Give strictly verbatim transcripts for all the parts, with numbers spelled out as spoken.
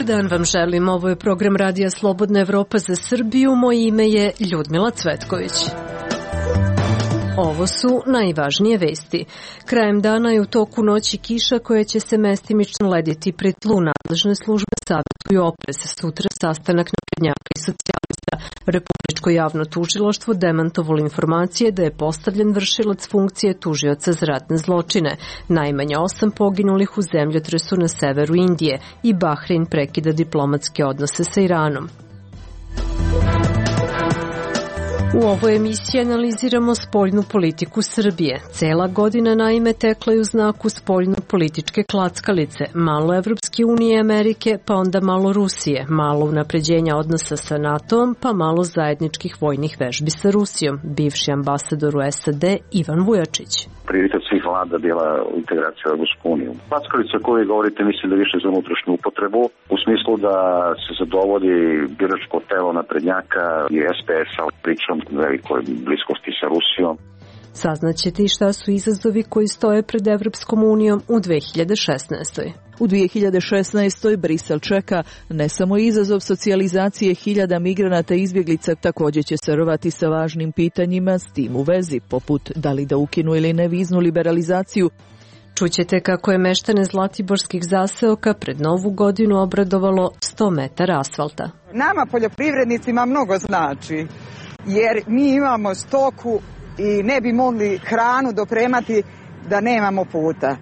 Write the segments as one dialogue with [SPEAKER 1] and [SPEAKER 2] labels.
[SPEAKER 1] dan vam želim. Ovo je program Radija Slobodna Evropa za Srbiju. Moje ime je Ljudmila Cvetković. Ovo su najvažnije vesti. Krajem dana je u toku noći kiša koja će se mestimično lediti pri tlu. Nadležne službe savjetuju oprez. Sutra sastanak naprednjaka i socijalista. Republičko javno tužilaštvo demantovalo informacije da je postavljen vršilac funkcije tužioca za ratne zločine. Najmanje osam poginulih u zemljotresu na severu Indije i Bahrein prekida diplomatske odnose sa Iranom. U ovoj emisiji analiziramo spoljnu politiku Srbije. Cela godina naime tekla je u znaku spoljno-političke klackalice. Malo Evropske unije i Amerike, pa onda malo Rusije. Malo unapređenja odnosa sa NATO-om, pa malo zajedničkih vojnih vežbi sa Rusijom. Bivši ambasador u S A D Ivan Vujačić.
[SPEAKER 2] Prioritet svih vlada bila integracija u Evropsku uniju. Klackalica o kojoj govorite mislim da više za unutrašnju upotrebu, u smislu da se zadovolji biračko telo naprednjaka i S P S-a pričom velikoj bliskosti sa Rusijom.
[SPEAKER 1] Saznaćete i šta su izazovi koji stoje pred Evropskom unijom u dve hiljade šesnaestoj.
[SPEAKER 3] U dve hiljade šesnaestoj Brisel čeka ne samo izazov socijalizacije hiljada migranata i izbjeglica, također će se rovati sa važnim pitanjima s tim u vezi, poput da li da ukinu ili ne viznu liberalizaciju.
[SPEAKER 1] Čućete kako je meštane zlatiborskih zaseoka pred novu godinu obradovalo sto metara asfalta.
[SPEAKER 4] Nama poljoprivrednicima mnogo znači, jer mi imamo stoku i ne bi mogli hranu dopremati da nemamo puta.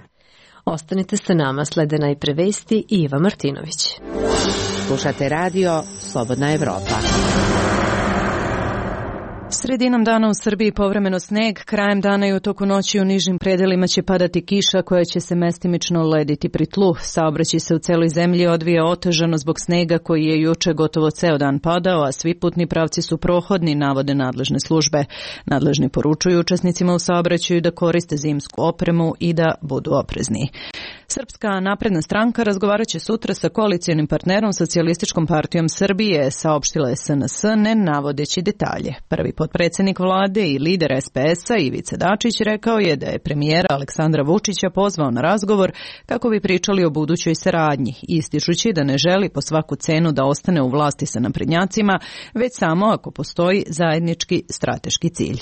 [SPEAKER 1] Ostanite sa nama, slede najpre vesti i Iva Martinović.
[SPEAKER 5] Slušate radio Slobodna Evropa.
[SPEAKER 6] Sredinom dana u Srbiji povremeno sneg, krajem dana i u toku noći u nižim predelima će padati kiša koja će se mestimično lediti pri tlu. Saobraćaj se u celoj zemlji odvija otežano zbog snega koji je juče gotovo ceo dan padao, a svi putni pravci su prohodni, navode nadležne službe. Nadležni poručuju učesnicima u saobraćaju da koriste zimsku opremu i da budu oprezni. Srpska napredna stranka razgovarat će sutra sa koalicijonim partnerom Socijalističkom partijom Srbije, saopštila je S N S, ne navodeći detalje. Prvi potpredsjednik vlade i lider S P S-a Ivica Dačić rekao je da je premijera Aleksandra Vučića pozvao na razgovor kako bi pričali o budućoj saradnji, ističući da ne želi po svaku cenu da ostane u vlasti sa naprednjacima, već samo ako postoji zajednički strateški cilj.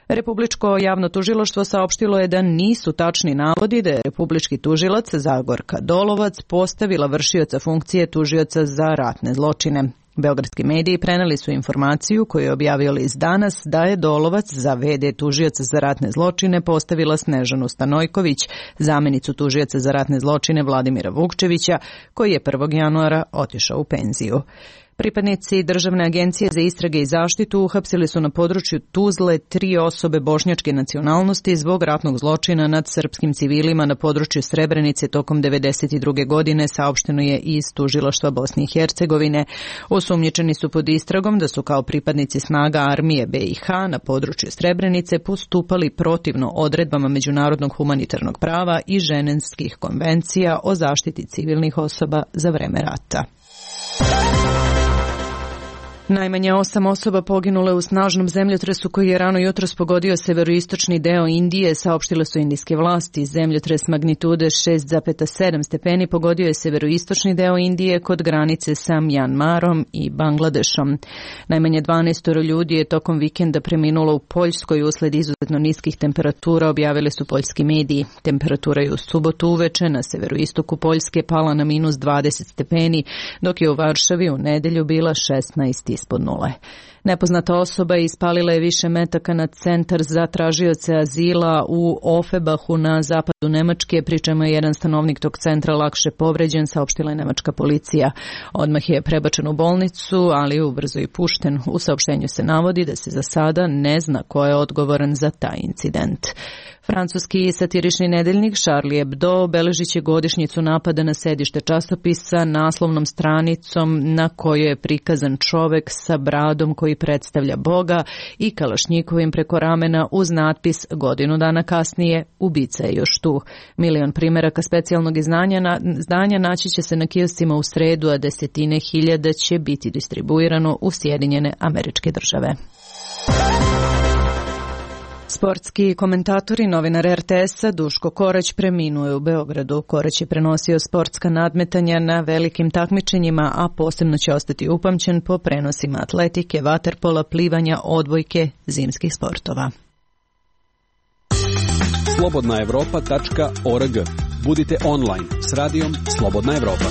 [SPEAKER 6] Republičko javno tužilaštvo saopštilo je da nisu tačni navodi da je republički tužilac Zagorka Dolovac postavila vršioca funkcije tužioca za ratne zločine. Beogradski mediji preneli su informaciju koju je objavio list Danas da je Dolovac za ve de tužioca za ratne zločine postavila Snežanu Stanojković, zamjenicu tužioca za ratne zločine Vladimira Vukčevića, koji je prvog januara otišao u penziju. Pripadnici Državne agencije za istrage i zaštitu uhapsili su na području Tuzle tri osobe bošnjačke nacionalnosti zbog ratnog zločina nad srpskim civilima na području Srebrenice tokom devedeset druge godine, saopšteno je iz tužilaštva Bosne i Hercegovine. Osumnjičeni su pod istragom da su kao pripadnici snaga armije be i ha na području Srebrenice postupali protivno odredbama međunarodnog humanitarnog prava i ženevskih konvencija o zaštiti civilnih osoba za vreme rata. Najmanje osam osoba poginule u snažnom zemljotresu koji je rano jutros pogodio severoistočni deo Indije, saopštile su indijske vlasti. Zemljotres magnitude šest zarez sedam stepeni pogodio je severoistočni deo Indije kod granice sa Mjanmarom i Bangladešom. Najmanje dvanaest ljudi je tokom vikenda preminulo u Poljskoj usled izuzetno niskih temperatura, objavili su poljski mediji. Temperatura je u subotu uveče na severoistoku Poljske pala na minus dvadeset stepeni, dok je u Varšavi u nedelju bila šesnaest ispod nule. Nepoznata osoba ispalila je više metaka na centar za tražioce azila u Ofebahu na zapadu Nemačke, pri čemu je jedan stanovnik tog centra lakše povređen, saopštila je nemačka policija. Odmah je prebačen u bolnicu, ali je ubrzo i pušten. U saopštenju se navodi da se za sada ne zna ko je odgovoran za taj incident. Francuski satirični nedeljnik Charlie Hebdo beležit će godišnjicu napada na sedište časopisa naslovnom stranicom na kojoj je prikazan čovek sa bradom koji predstavlja Boga i kalašnjikovim preko ramena uz natpis godinu dana kasnije ubica je još tu. Milion primjeraka specijalnog izdanja, na, izdanja naći će se na kioscima u sredu, a desetine hiljada će biti distribuirano u Sjedinjene Američke Države. Sportski komentator i novinar er te esa Duško Korać preminuo je u Beogradu. Korać je prenosio sportska nadmetanja na velikim takmičenjima, a posebno će ostati upamćen po prenosima atletike, vaterpola, plivanja, odbojke, zimskih sportova.
[SPEAKER 7] slobodna evropa tačka org. Budite online s radijom Slobodna Evropa.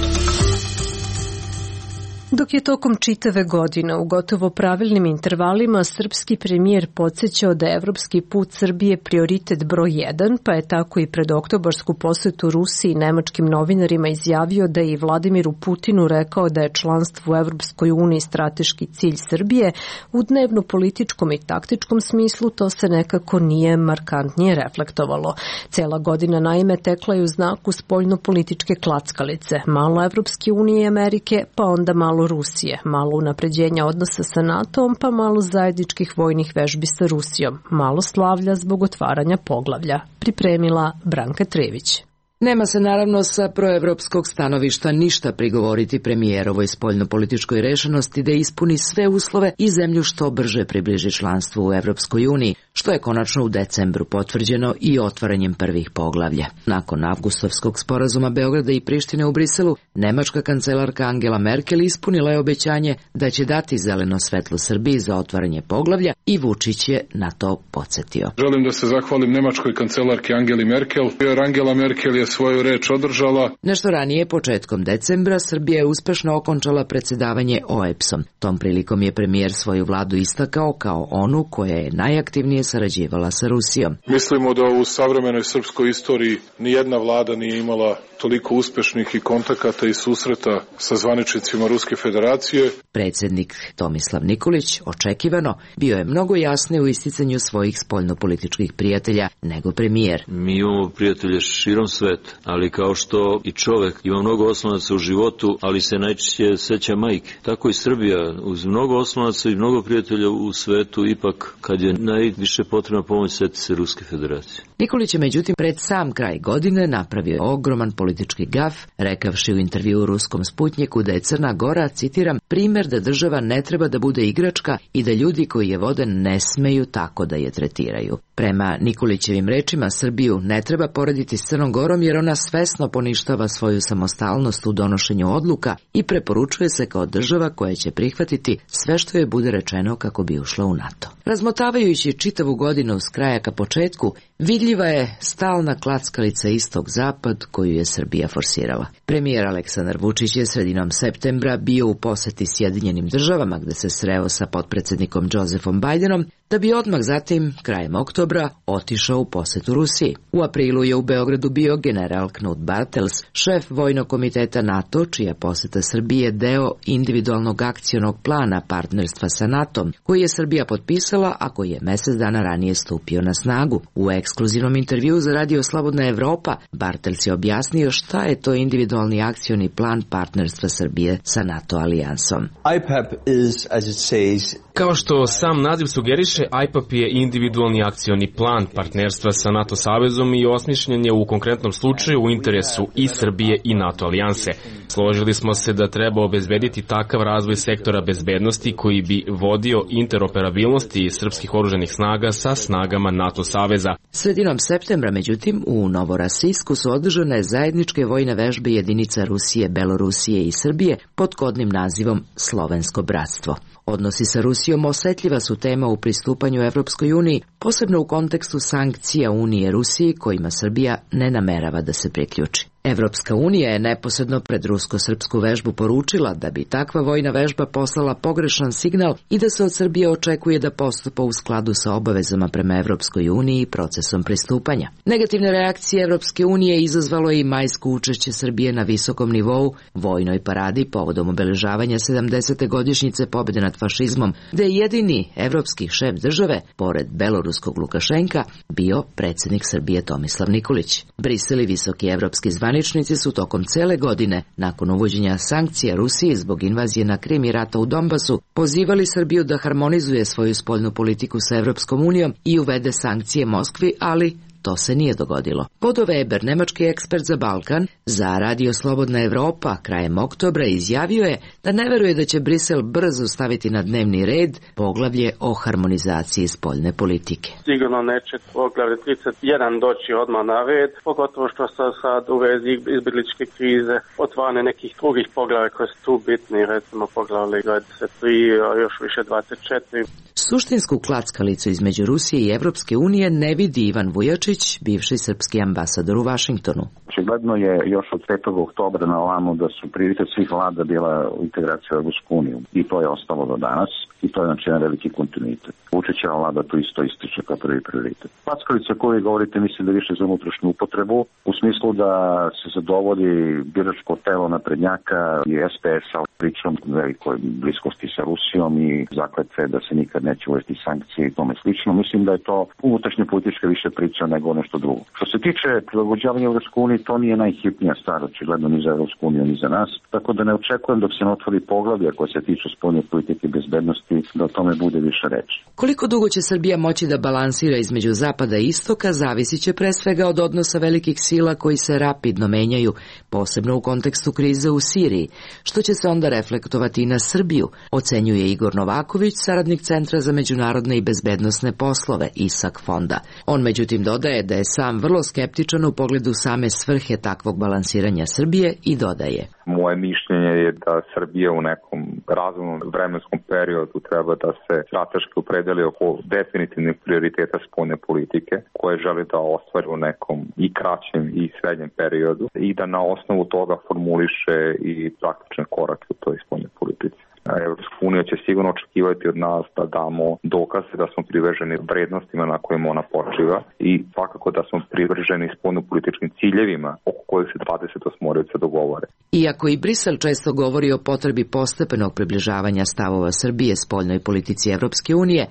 [SPEAKER 1] Dok je tokom čitave godine u gotovo pravilnim intervalima srpski premijer podsjećao da je evropski put Srbije prioritet broj jedan, pa je tako i pred oktobarsku posetu Rusiji i nemačkim novinarima izjavio da je i Vladimiru Putinu rekao da je članstvo u Evropskoj uniji strateški cilj Srbije, u dnevno-političkom i taktičkom smislu to se nekako nije markantnije reflektovalo. Cela godina naime tekla je u znaku spoljno-političke klackalice, malo Evropske unije i Amerike, pa onda malo Rusije, malo unapređenja odnosa sa NATO-om, pa malo zajedničkih vojnih vežbi sa Rusijom, malo slavlja zbog otvaranja poglavlja. Pripremila Branka Trević.
[SPEAKER 8] Nema se naravno sa proevropskog stanovišta ništa prigovoriti premijerovoj spoljnopolitičkoj rešenosti da ispuni sve uslove i zemlju što brže približi članstvu u Evropskoj uniji, što je konačno u decembru potvrđeno i otvaranjem prvih poglavlja. Nakon avgustovskog sporazuma Beograda i Prištine u Briselu, nemačka kancelarka Angela Merkel ispunila je obećanje da će dati zeleno svetlo Srbiji za otvaranje poglavlja i Vučić je na to podsjetio.
[SPEAKER 9] Želim da se zahvalim nemačkoj kancelarki Angeli Merkel, jer Angela Merkel je svoju reč održala.
[SPEAKER 8] Nešto ranije, početkom decembra, Srbija je uspešno okončala predsjedavanje o e p s-om. Tom prilikom je premijer svoju vladu istakao kao onu koja je najaktivnije sarađivala sa Rusijom.
[SPEAKER 9] Mislimo da u savremenoj srpskoj istoriji nijedna vlada nije imala toliko uspešnih i kontakata i susreta sa zvaničnicima Ruske federacije.
[SPEAKER 8] Predsjednik Tomislav Nikolić, očekivano, bio je mnogo jasniji u isticanju svojih spoljnopolitičkih prijatelja nego premijer.
[SPEAKER 10] Mi imamo prijatelje širom sveta, ali kao što i čovek ima mnogo oslonaca u životu, ali se najčešće seća majke. Tako i Srbija, uz mnogo oslonaca i mnogo prijatelja u svetu, ipak kad je najviše potrebna pomoć, seti se Ruske federacije.
[SPEAKER 8] Nikolić je međutim pred sam kraj godine napravio ogroman politički gaf, rekavši u intervjuu ruskom Sputnjiku da je Crna Gora, citiram, primjer da država ne treba da bude igračka i da ljudi koji je vode ne smeju tako da je tretiraju. Prema Nikolićevim rečima, Srbiju ne treba porediti s Crnom Gorom jer ona svesno poništava svoju samostalnost u donošenju odluka i preporučuje se kao država koja će prihvatiti sve što je bude rečeno kako bi ušla u NATO. Razmotavajući čitavu godinu s kraja ka početku, vidljiva je stalna klackalica istok-zapad koju je Srbija forsirala. Premijer Aleksandar Vučić je sredinom septembra bio u poseti Sjedinjenim državama gde se sreo sa potpredsjednikom Josefom Bidenom, da bi odmah zatim, krajem oktobra, otišao u posetu Rusiji. U aprilu je u Beogradu bio general Knut Bartels, šef vojnog komiteta NATO, čija poseta Srbije deo individualnog akcionog plana partnerstva sa NATO-om, koji je Srbija potpisala, a koji je mesec dana ranije stupio na snagu. U ekskluzivnom intervjuu za Radio Slobodna Evropa, Bartels je objasnio šta je to individualni akcioni plan partnerstva Srbije sa NATO alijansom.
[SPEAKER 11] I P A P is, as it says,
[SPEAKER 12] kao što sam naziv sugeriše, I P A P je individualni akcioni plan partnerstva sa NATO savezom i osmišljen je u konkretnom slučaju u interesu i Srbije i NATO alijanse. Složili smo se da treba obezbediti takav razvoj sektora bezbednosti koji bi vodio interoperabilnosti srpskih oružanih snaga sa snagama NATO saveza.
[SPEAKER 8] Sredinom septembra, međutim, u Novorosijsku su održane zajedničke vojne vežbe jedinica Rusije, Belorusije i Srbije pod kodnim nazivom Slovensko bratstvo. Odnosi sa Rusijom osetljiva su tema u pristupanju Evropskoj uniji, posebno u kontekstu sankcija Unije Rusiji kojima Srbija ne namerava da se priključi. Evropska unija je neposredno pred rusko-srpsku vežbu poručila da bi takva vojna vežba poslala pogrešan signal i da se od Srbije očekuje da postupa u skladu sa obavezama prema Evropskoj uniji i procesom pristupanja. Negativne reakcije Evropske unije izazvalo je i majsko učešće Srbije na visokom nivou vojnoj paradi povodom obeležavanja sedamdesete godišnjice pobjede nad fašizmom, gde je jedini evropski šef države, pored beloruskog Lukašenka, bio predsjednik Srbije Tomislav Nikolić. Brisel i visoki evropski zvaničnici su tokom cele godine, nakon uvođenja sankcija Rusiji zbog invazije na Krim i rata u Donbasu, pozivali Srbiju da harmonizuje svoju spoljnu politiku sa Evropskom unijom i uvede sankcije Moskvi, ali to se nije dogodilo. Bodo Weber, nemački ekspert za Balkan, za Radio Slobodna Evropa krajem oktobra izjavio je da ne veruje da će Brisel brzo staviti na dnevni red poglavlje o harmonizaciji spoljne politike.
[SPEAKER 13] Sigurno neće poglavlje trideset jedan doći odmah na red, pogotovo što se sad u vezi izbjegličke krize otvarane nekih drugih poglavlja koje su tu bitni, recimo poglavlje dvadeset tri, a još više dvadeset četiri.
[SPEAKER 8] Suštinsku klackalicu između Rusije i Evropske unije ne vidi Ivan Vujačić, bivši srpski ambasador u Vašingtonu.
[SPEAKER 2] Očigledno je još od petog oktobra na ovamo da su prioritet svih vlada bila integracija u Evropsku uniju i to je ostalo do danas i to je znači jedan veliki kontinuitet. Vučićeva vlada to isto ističe kao prvi prioritet. Klackalica o kojoj govorite mislim da više za unutrašnju upotrebu u smislu da se zadovolji biračko telo naprednjaka i es pe es-a pričom velikoj bliskosti sa Rusijom i zakletve da se nikad neće uvesti sankcije i tome slično. Mislim da je to unutrašnja politička više priča nego nešto drugo. Što se tiče prilagođavanja Evropskoj uniji, to nije najhitnija stvar, očigledno ni za Evropsku uniju, ni za nas. Tako da ne očekujem dok se ne otvori poglavlje koje se tiče spoljne politike i bezbednosti da o tome bude više reči.
[SPEAKER 8] Koliko dugo će Srbija moći da balansira između zapada i istoka zavisi će pre svega od odnosa velikih sila koji se rapidno menjaju, posebno u kontekstu krize u Siriji, što će se onda reflektovati i na Srbiju, ocenjuje Igor Novaković, saradnik Centra za međunarodne i bezbednosne poslove I S A K fonda. On međutim dodaje da je sam vrlo skeptičan u pogledu same svrhe takvog balansiranja Srbije i dodaje:
[SPEAKER 14] Moje mišljenje je da Srbija u nekom razumnom vremenskom periodu treba da se strateški opredeli oko definitivnih prioriteta spoljne politike koje želi da ostvari u nekom i kraćem i srednjem periodu i da na osnovu toga formuliše i praktične korake u toj spoljnoj politici. Evropska unija će sigurno očekivati od nas da damo dokaze da smo privrženi vrednostima na kojima ona počiva i svakako da smo privrženi spoljnopolitičkim ciljevima oko kojih se dvadeset osmorica dogovore.
[SPEAKER 8] Iako i Brisel često govori o potrebi postepenog približavanja stavova Srbije spoljnoj politici Evropske unije,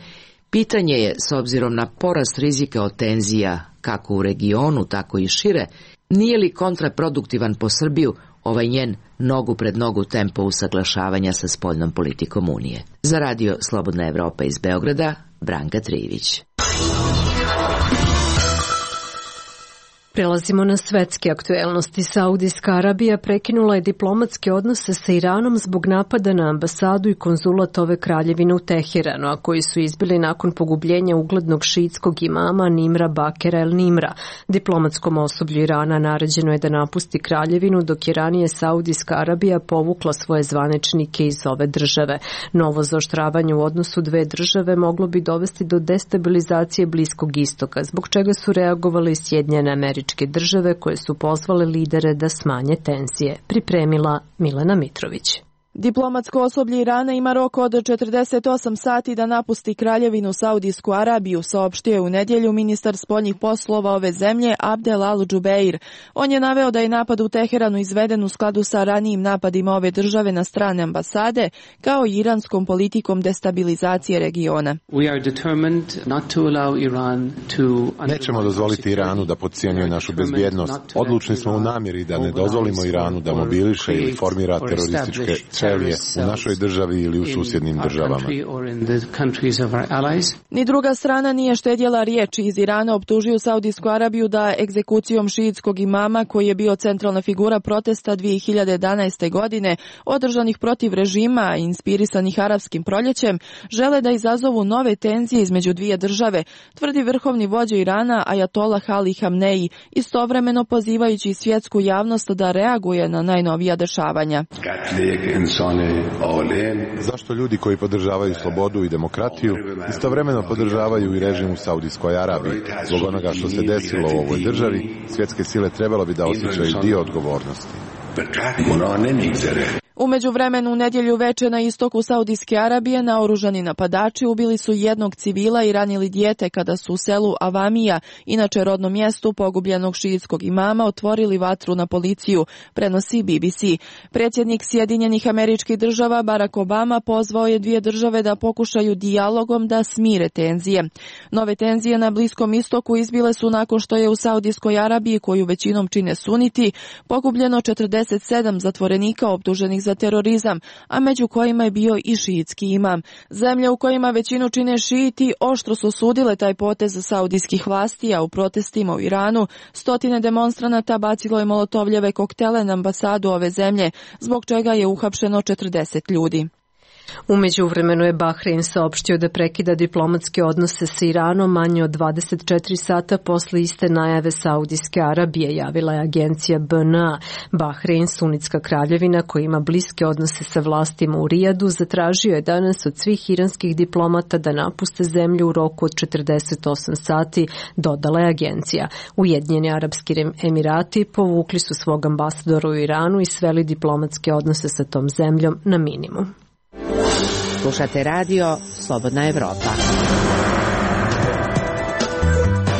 [SPEAKER 8] pitanje je, s obzirom na porast rizika od tenzija kako u regionu, tako i šire, nije li kontraproduktivan po Srbiju ovaj njen nogu pred nogu tempo usaglašavanja sa spoljnom politikom Unije. Za Radio Slobodna Evropa iz Beograda, Branka Trijević.
[SPEAKER 1] Prelazimo na svetske aktuelnosti. Saudijska Arabija prekinula je diplomatske odnose sa Iranom zbog napada na ambasadu i konzulat ove kraljevine u Teheranu, a koji su izbili nakon pogubljenja uglednog šiitskog imama Nimra Bakera el Nimra. Diplomatskom osoblju Irana naređeno je da napusti kraljevinu, dok je ranije Saudijska Arabija povukla svoje zvaničnike iz ove države. Novo zaoštravanje u odnosu dve države moglo bi dovesti do destabilizacije Bliskog istoka, zbog čega su reagovali Sjedinjene Američke države koje su pozvale lidere da smanje tenzije. Pripremila Milena Mitrović.
[SPEAKER 3] Diplomatsko osoblje Irana ima rok od četrdeset osam sati da napusti kraljevinu Saudijsku Arabiju, saopštio je u nedjelju ministar spoljnih poslova ove zemlje Abdel Al-Džubeir. On je naveo da je napad u Teheranu izveden u skladu sa ranijim napadima ove države na strane ambasade, kao i iranskom politikom destabilizacije regiona.
[SPEAKER 15] Nećemo dozvoliti Iranu da podcijenjuje našu bezbjednost. Odlučni smo u namjeri da ne dozvolimo Iranu da mobiliše ili formira terorističke ćelije u našoj državi ili u susjednim državama.
[SPEAKER 3] Ni druga strana nije štedjela riječi. Iz Irana optužuju Saudijsku Arabiju da egzekucijom šiitskog imama, koji je bio centralna figura protesta dvije hiljade jedanaeste. godine, održanih protiv režima inspirisanih arapskim proljećem, žele da izazovu nove tenzije između dvije države, tvrdi vrhovni vođa Irana Ajatolah Ali Hamneji, istovremeno pozivajući svjetsku javnost da reaguje na najnovija dešavanja.
[SPEAKER 15] Zašto ljudi koji podržavaju slobodu i demokratiju istovremeno podržavaju i režim u Saudijskoj Arabiji? Zbog onoga što se desilo u ovoj državi, svjetske sile trebalo bi da osjećaju dio odgovornosti.
[SPEAKER 3] U međuvremenu u nedjelju veče na istoku Saudijske Arabije naoružani napadači ubili su jednog civila i ranili dijete kada su u selu Avamija, inače rodnom mjestu pogubljenog šiitskog imama, otvorili vatru na policiju, prenosi B B C. Predsjednik Sjedinjenih Američkih Država Barack Obama pozvao je dvije države da pokušaju dijalogom da smire tenzije. Nove tenzije na Bliskom istoku izbile su nakon što je u Saudijskoj Arabiji, koju većinom čine suniti, pogubljeno četrdeset sedam zatvorenika optuženih za
[SPEAKER 16] za terorizam, a među kojima je bio i šiitski imam. Zemlje u kojima većinu čine šiiti oštro su osudile taj potez saudijskih vlasti, a u protestima u Iranu stotine demonstranata bacilo je molotovljeve koktele na ambasadu ove zemlje, zbog čega je uhapšeno četrdeset ljudi.
[SPEAKER 1] U međuvremenu je Bahrein saopštio da prekida diplomatske odnose sa Iranom manje od dvadeset četiri sata posle iste najave Saudijske Arabije, javila je agencija B N A. Bahrein, sunitska kraljevina koja ima bliske odnose sa vlastima u Rijadu, zatražio je danas od svih iranskih diplomata da napuste zemlju u roku od četrdeset osam sati, dodala je agencija. Ujedinjeni Arapski Emirati povukli su svog ambasadora u Iranu i sveli diplomatske odnose sa tom zemljom na minimum.
[SPEAKER 5] Slušate radio Slobodna Evropa.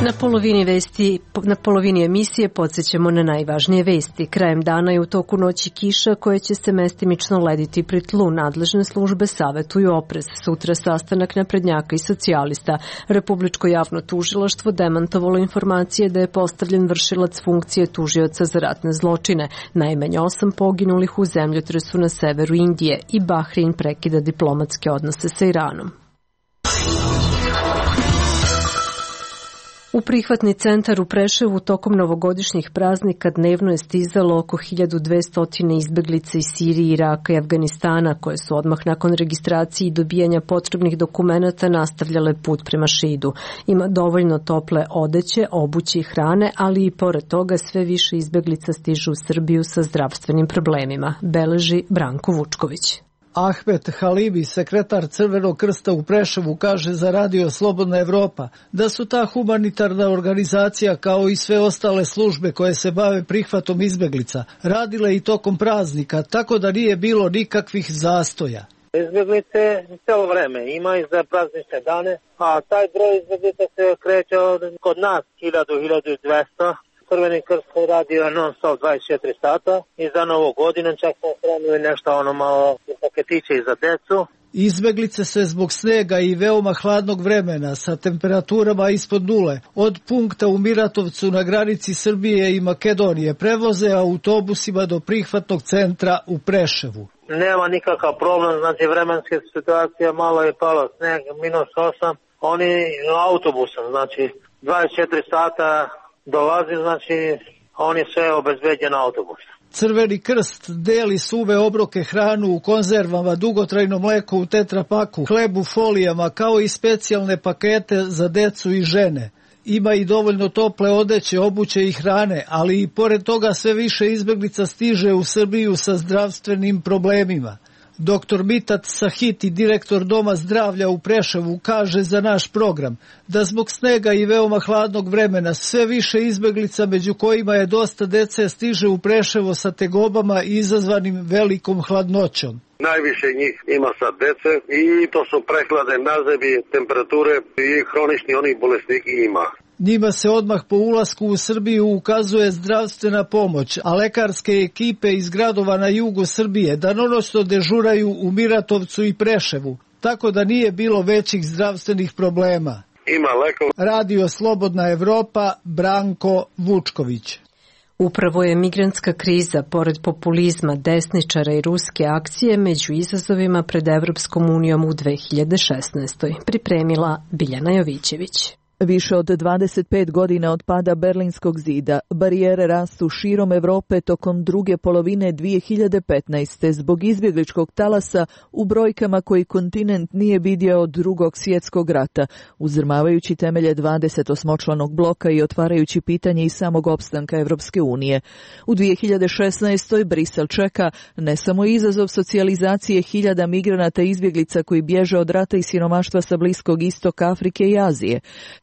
[SPEAKER 1] Na polovini vesti, na polovini emisije podsjećamo na najvažnije vesti. Krajem dana je u toku noći kiša koja će se mestimično lediti pri tlu. Nadležne službe savetuju oprez. Sutra sastanak naprednjaka i socijalista. Republičko javno tužilaštvo demantovalo informacije da je postavljen vršilac funkcije tužioca za ratne zločine. Najmanje osam poginulih u zemljotresu na severu Indije i Bahrein prekida diplomatske odnose sa Iranom. U prihvatni centar u Preševu tokom novogodišnjih praznika dnevno je stizalo oko hiljadu dvesta izbeglica iz Sirije, Iraka i Afganistana, koje su odmah nakon registracije i dobijanja potrebnih dokumenata nastavljale put prema Šidu. Ima dovoljno tople odeće, obuće i hrane, ali i pored toga sve više izbeglica stižu u Srbiju sa zdravstvenim problemima, beleži Branko Vučković.
[SPEAKER 17] Ahmet Halibi, sekretar Crvenog krsta u Preševu, kaže za radio Slobodna Evropa da su ta humanitarna organizacija kao i sve ostale službe koje se bave prihvatom izbeglica radile i tokom praznika, tako da nije bilo nikakvih zastoja.
[SPEAKER 18] Izbeglice celo vreme ima i za praznične dane, a taj broj izbeglica se kreće kod nas hiljadu do hiljadu dvesta. Crveni krst radio non stop dvadeset četiri sata i za novu godinu čak smo spremili nešto ono malo paketiće i za decu.
[SPEAKER 17] Izbeglice se zbog snega i veoma hladnog vremena sa temperaturama ispod nule od punkta u Miratovcu na granici Srbije i Makedonije prevoze autobusima do prihvatnog centra u Preševu.
[SPEAKER 18] Nema nikakav problem, znači vremenska situacija, malo je palo sneg, minus osam, oni autobusom, znači dvadeset četiri sata dolazi, znači on je sve obezbeđen autobus.
[SPEAKER 17] Crveni krst deli suve obroke, hranu u konzervama, dugotrajno mleko u tetrapaku, hleb u folijama, kao i specijalne pakete za decu i žene. Ima i dovoljno tople odeće, obuće i hrane, ali i pored toga sve više izbeglica stiže u Srbiju sa zdravstvenim problemima. Doktor Mitat Sahiti, direktor Doma zdravlja u Preševu, kaže za naš program da zbog snega i veoma hladnog vremena sve više izbeglica, među kojima je dosta dece, stiže u Preševo sa tegobama izazvanim velikom hladnoćom.
[SPEAKER 19] Najviše njih ima sad dece i to su prehlade, nazebi, temperature i hronični onih bolesniki ima.
[SPEAKER 17] Njima se odmah po ulasku u Srbiju ukazuje zdravstvena pomoć, a lekarske ekipe iz gradova na jugu Srbije danonoćno dežuraju u Miratovcu i Preševu, tako da nije bilo većih zdravstvenih problema.
[SPEAKER 19] Ima lekova.
[SPEAKER 17] Radio Slobodna Evropa, Branko Vučković.
[SPEAKER 1] Upravo je migrantska kriza, pored populizma, desničara i ruske akcije, među izazovima pred Evropskom unijom u dve hiljade šesnaestoj. Pripremila Biljana Jovićević.
[SPEAKER 3] Više od dvadeset pet godina od pada Berlinskog zida, barijere rastu širom Evrope tokom druge polovine dve hiljade petnaeste. zbog izbjegličkog talasa u brojkama koji kontinent nije vidio od drugog svjetskog rata, uzdrmavajući temelje dvadesetosmočlanog bloka i otvarajući pitanje i samog opstanka Evropske unije. U dve hiljade šesnaestoj. Brisel čeka ne samo izazov socijalizacije hiljada migranata i izbjeglica koji bježe od rata i siromaštva sa Bliskog istoka, Afrike i Azije.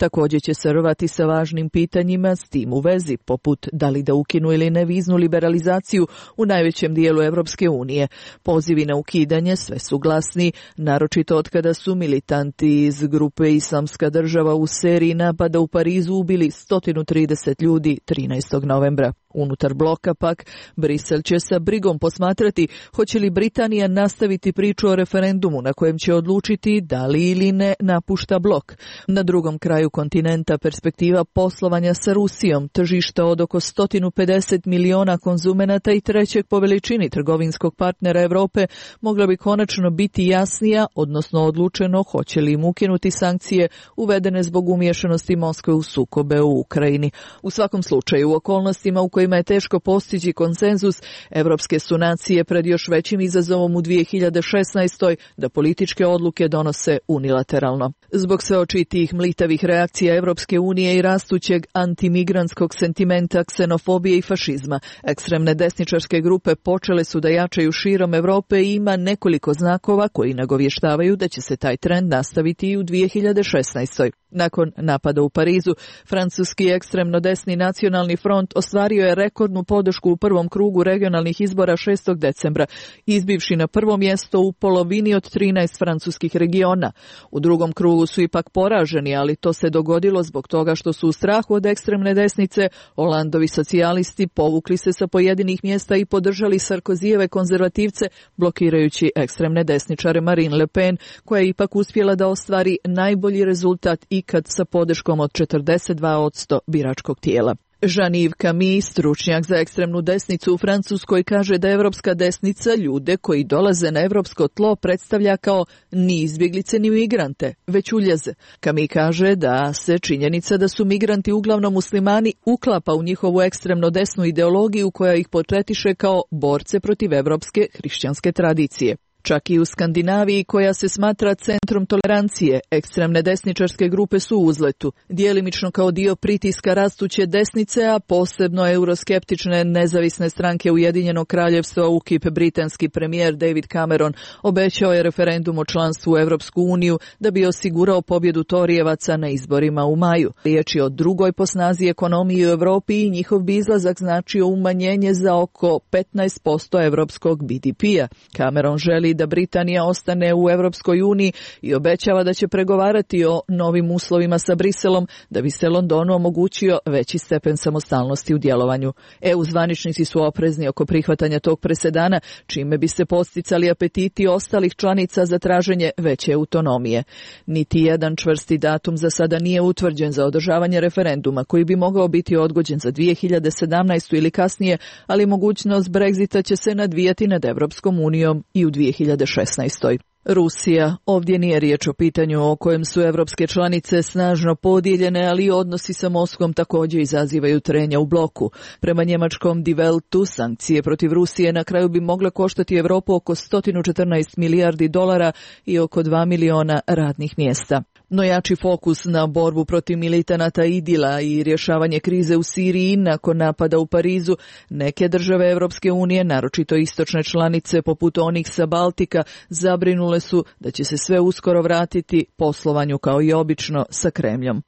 [SPEAKER 3] Također će se rovati sa važnim pitanjima s tim u vezi, poput da li da ukinu ili ne viznu liberalizaciju u najvećem dijelu Evropske unije. Pozivi na ukidanje sve su glasni, naročito od kada su militanti iz grupe Islamska država u seriji napada u Parizu ubili sto trideset ljudi trinaestog novembra. Unutar bloka pak, Brisel će sa brigom posmatrati hoće li Britanija nastaviti priču o referendumu na kojem će odlučiti da li ili ne napušta blok. Na drugom kraju kontinenta perspektiva poslovanja sa Rusijom, tržišta od oko sto pedeset miliona konzumenata i trećeg po veličini trgovinskog partnera Evrope mogla bi konačno biti jasnija, odnosno odlučeno hoće li im ukinuti sankcije uvedene zbog umiješanosti Moskve u sukobe u Ukrajini. U svakom slučaju, u okolnostima u kojima je teško postići konsenzus, evropske su nacije pred još većim izazovom u dvije hiljade šesnaestoj da političke odluke donose unilateralno. Zbog sve očitijih mlitavih reakcija Evropske unije i rastućeg antimigrantskog sentimenta, ksenofobije i fašizma, ekstremne desničarske grupe počele su da jačaju širom Evrope i ima nekoliko znakova koji nagovještavaju da će se taj trend nastaviti i u dvije hiljade šesnaestoj. Nakon napada u Parizu, francuski ekstremno desni nacionalni front ostvario je rekordnu podršku u prvom krugu regionalnih izbora šestog decembra, izbivši na prvo mjesto u polovini od trinaest francuskih regiona. U drugom krugu su ipak poraženi, ali to se dogodilo zbog toga što su u strahu od ekstremne desnice Hollandovi socijalisti povukli se sa pojedinih mjesta i podržali Sarkozijeve konzervativce, blokirajući ekstremne desničare Marine Le Pen, koja je ipak uspjela da ostvari najbolji rezultat ikad sa podrškom od četrdeset dva posto biračkog tijela. Jean-Yves Camille, stručnjak za ekstremnu desnicu u Francuskoj, kaže da evropska desnica ljude koji dolaze na evropsko tlo predstavlja kao ni izbjeglice ni migrante, već uljeze. Camille kaže da se činjenica da su migranti uglavnom muslimani uklapa u njihovu ekstremno desnu ideologiju koja ih portretiše kao borce protiv evropske hrišćanske tradicije. Čak i u Skandinaviji, koja se smatra centrom tolerancije, ekstremne desničarske grupe su u uzletu, djelimično kao dio pritiska rastuće desnice, a posebno euroskeptične nezavisne stranke Ujedinjenog kraljevstva U K I P. Britanski premijer David Cameron obećao je referendum o članstvu u Europsku uniju da bi osigurao pobjedu Torijevaca na izborima u maju. Riječ je o drugoj po snazi ekonomiji u Europi i njihov bi izlazak značio umanjenje za oko petnaest posto europskog B D P-a. Cameron želi da Britanija ostane u Europskoj uniji i obećava da će pregovarati o novim uslovima sa Briselom da bi se Londonu omogućio veći stepen samostalnosti u djelovanju. E U zvaničnici su oprezni oko prihvatanja tog presedana, čime bi se posticali apetiti ostalih članica za traženje veće autonomije. Niti jedan čvrsti datum za sada nije utvrđen za održavanje referenduma, koji bi mogao biti odgođen za dvije hiljade sedamnaestu ili kasnije, ali mogućnost Brexita će se nadvijati nad Evropskom unijom i u dvije hiljade šesnaestoj. Rusija. Ovdje nije riječ o pitanju o kojem su evropske članice snažno podijeljene, ali odnosi sa Moskvom također izazivaju trenja u bloku. Prema njemačkom Die Weltu, sankcije protiv Rusije na kraju bi mogle koštati Europu oko sto četrnaest milijardi dolara i oko dva miliona radnih mjesta. No jači fokus na borbu protiv militanata Idila i rješavanje krize u Siriji nakon napada u Parizu, neke države Europske unije, naročito istočne članice poput onih sa Baltika, zabrinule su da će se sve uskoro vratiti poslovanju kao i obično sa Kremljom.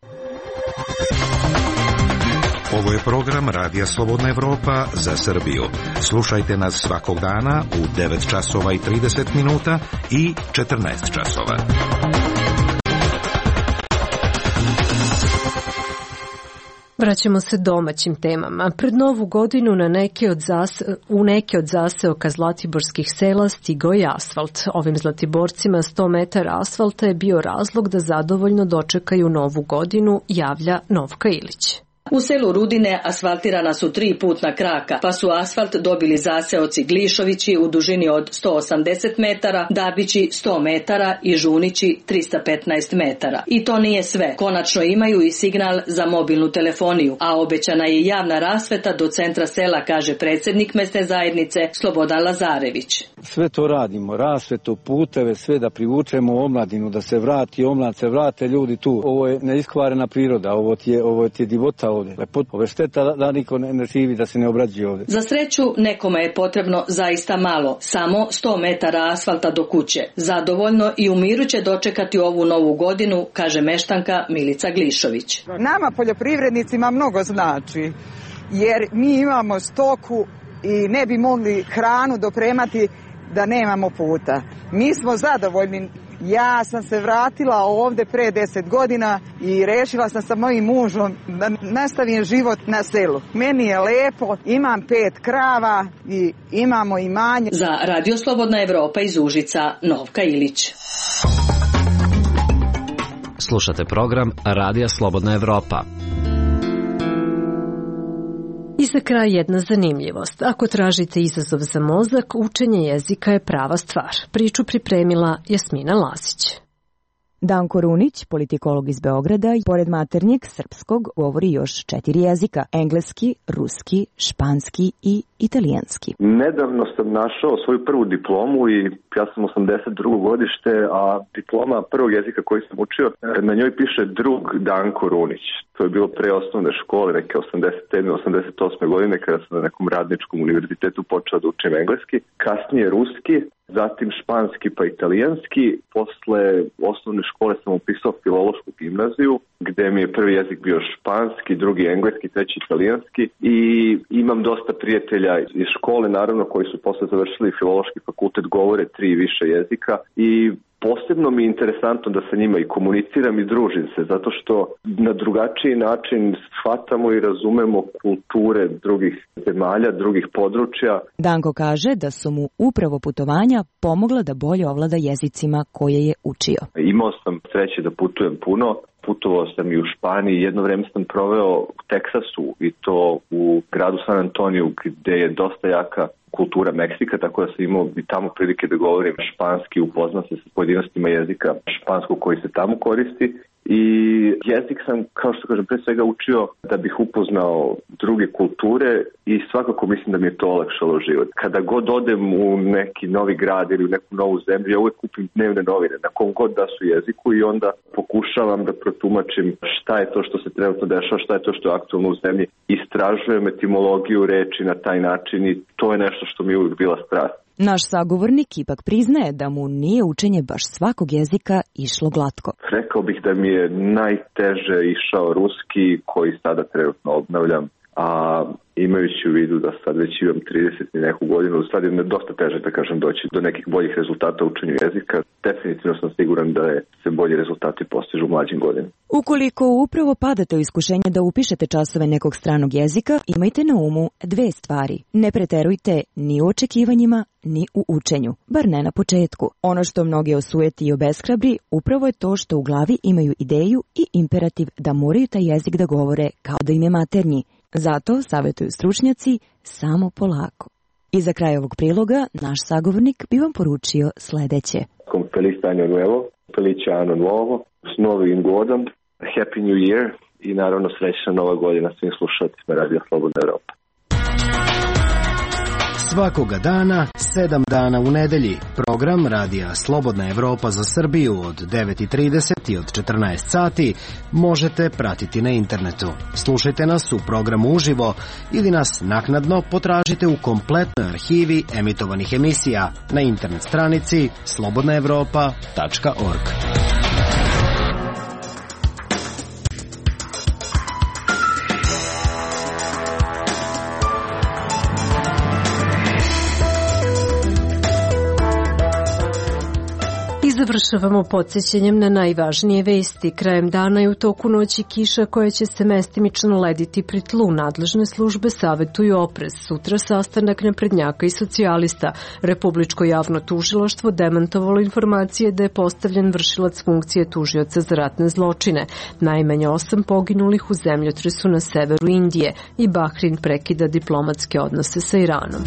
[SPEAKER 20] Ovo je program Radija Slobodna Evropa za Srbiju. Slušajte nas svakog dana u devet časova i trideset minuta i četrnaest časova.
[SPEAKER 1] Vraćamo se domaćim temama. Pred novu godinu na neke od zase, u neke od zaseoka zlatiborskih sela stigao je asfalt. Ovim zlatiborcima sto metara asfalta je bio razlog da zadovoljno dočekaju novu godinu, javlja Novka Ilić.
[SPEAKER 21] U selu Rudine asfaltirana su tri putna kraka, pa su asfalt dobili zaseoci Glišovići u dužini od sto osamdeset metara, Dabići sto metara i Žunići trista petnaest metara. I to nije sve. Konačno imaju i signal za mobilnu telefoniju, a obećana je javna rasveta do centra sela, kaže predsjednik mesne zajednice Slobodan Lazarević.
[SPEAKER 22] Sve to radimo, rasvetu, puteve, sve da privučemo omladinu, da se vrati, omlad se vrate ljudi tu. Ovo je neiskvarena priroda, ovo ti je, ovo ti je divota ovdje. Ove šteta da niko ne, ne živi, da se ne obrađuje ovdje.
[SPEAKER 21] Za sreću nekome je potrebno zaista malo, samo sto metara asfalta do kuće. Zadovoljno i u miru će dočekati ovu novu godinu, kaže meštanka Milica Glišović.
[SPEAKER 4] Nama poljoprivrednicima mnogo znači, jer mi imamo stoku i ne bi mogli hranu dopremati da nemamo puta. Mi smo zadovoljni Ja sam se vratila ovde pre deset godina i rešila sam sa mojim mužom da nastavim život na selu. Meni je lepo, imam pet krava i imamo imanje.
[SPEAKER 21] Za Radio Slobodna Evropa iz Užica, Novka Ilić.
[SPEAKER 6] Slušate program Radija Slobodna Evropa.
[SPEAKER 1] I za kraj jedna zanimljivost. Ako tražite izazov za mozak, učenje jezika je prava stvar. Priču pripremila Jasmina Lasić.
[SPEAKER 7] Danko Runić, politikolog iz Beograda, pored maternjeg srpskog govori još četiri jezika: engleski, ruski, španski i italijanski.
[SPEAKER 23] Nedavno sam našao svoju prvu diplomu i ja sam osamdeset drugo godište, a diploma prvog jezika koji sam učio, na njoj piše drug Danko Runić. To je bilo pre osnovne škole, neke osamdeset sedme osamdeset osme godine, kada sam na nekom radničkom univerzitetu počeo da učim engleski, kasnije ruski, zatim španski pa italijanski. Posle osnovne škole sam upisao filološku gimnaziju, gde mi je prvi jezik bio španski, drugi engleski, treći italijanski i imam dosta prijatelja iz škole, naravno, koji su posle završili filološki fakultet, govore tri i više jezika i posebno mi je interesantno da sa njima i komuniciram i družim se, zato što na drugačiji način shvatamo i razumemo kulture drugih zemalja, drugih područja.
[SPEAKER 7] Danko kaže da su mu upravo putovanja pomogla da bolje ovlada jezicima koje je učio.
[SPEAKER 23] Imao sam sreće da putujem puno. Putovao sam i u Španiji, jedno vreme sam proveo u Teksasu i to u gradu San Antoniju, gde je dosta jaka kultura Meksika, tako da sam imao i tamo prilike da govorim španski, upoznam se sa pojedinostima jezika španskog koji se tamo koristi. I jezik sam, kao što kažem, pre svega učio da bih upoznao druge kulture i svakako mislim da mi je to olakšalo život. Kada god odem u neki novi grad ili u neku novu zemlju, ja uvek kupim dnevne novine na kom god da su jeziku i onda pokušavam da protumačim šta je to što se trenutno dešava, šta je to što je aktualno u zemlji. Istražujem etimologiju reči na taj način i to je nešto što mi je uvijek bila strast.
[SPEAKER 7] Naš sagovornik ipak priznaje da mu nije učenje baš svakog jezika išlo glatko.
[SPEAKER 23] Rekao bih da mi je najteže išao ruski, koji sada trenutno obnavljam, a imajući u vidu da sad već imam trideset i neku godinu, sad je dosta teže, da kažem, doći do nekih boljih rezultata u učenju jezika. Definitivno sam siguran da je se bolji rezultati postižu u mlađim godinama.
[SPEAKER 7] Ukoliko upravo padate u iskušenje da upišete časove nekog stranog jezika, imajte na umu dve stvari. Ne preterujte ni u očekivanjima, ni u učenju, bar ne na početku. Ono što mnoge osujeti i obeshrabri upravo je to što u glavi imaju ideju i imperativ da moraju taj jezik da govore kao da im je maternji. Zato, savjetuju stručnjaci, samo polako. I za kraj ovog priloga, naš sagovornik bi vam poručio sledeće.
[SPEAKER 23] Feliz año nuevo, felice anno nuovo, s novim godom, happy new year i naravno srećna nova godina svim slušateljima Radija Slobodna Evropa.
[SPEAKER 6] Svakoga dana, sedam dana u nedelji, program Radija Slobodna Evropa za Srbiju od devet i trideset i od četrnaest sati možete pratiti na internetu. Slušajte nas u programu uživo ili nas naknadno potražite u kompletnoj arhivi emitovanih emisija na internet stranici slobodna evropa tačka org.
[SPEAKER 1] Završavamo podsjećanjem na najvažnije vesti. Krajem dana i u toku noći kiša koja će se mestimično lediti pri tlu. Nadležne službe savetuju oprez. Sutra sastanak naprednjaka i socijalista. Republičko javno tužilaštvo demantovalo informacije da je postavljen vršilac funkcije tužioca za ratne zločine. Najmanje osam poginulih u zemljotresu na severu Indije i Bahrin prekida diplomatske odnose sa Iranom.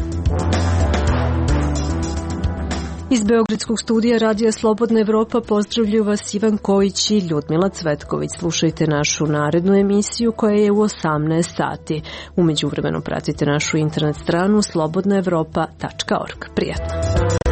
[SPEAKER 1] Iz Beogradskog studija Radija Slobodna Evropa pozdravljuju vas Ivan Kojić i Ljudmila Cvetković. Slušajte našu narednu emisiju koja je u osamnaest sati. Umeđu vremenu pratite našu internet stranu slobodna evropa tačka org. Prijatno!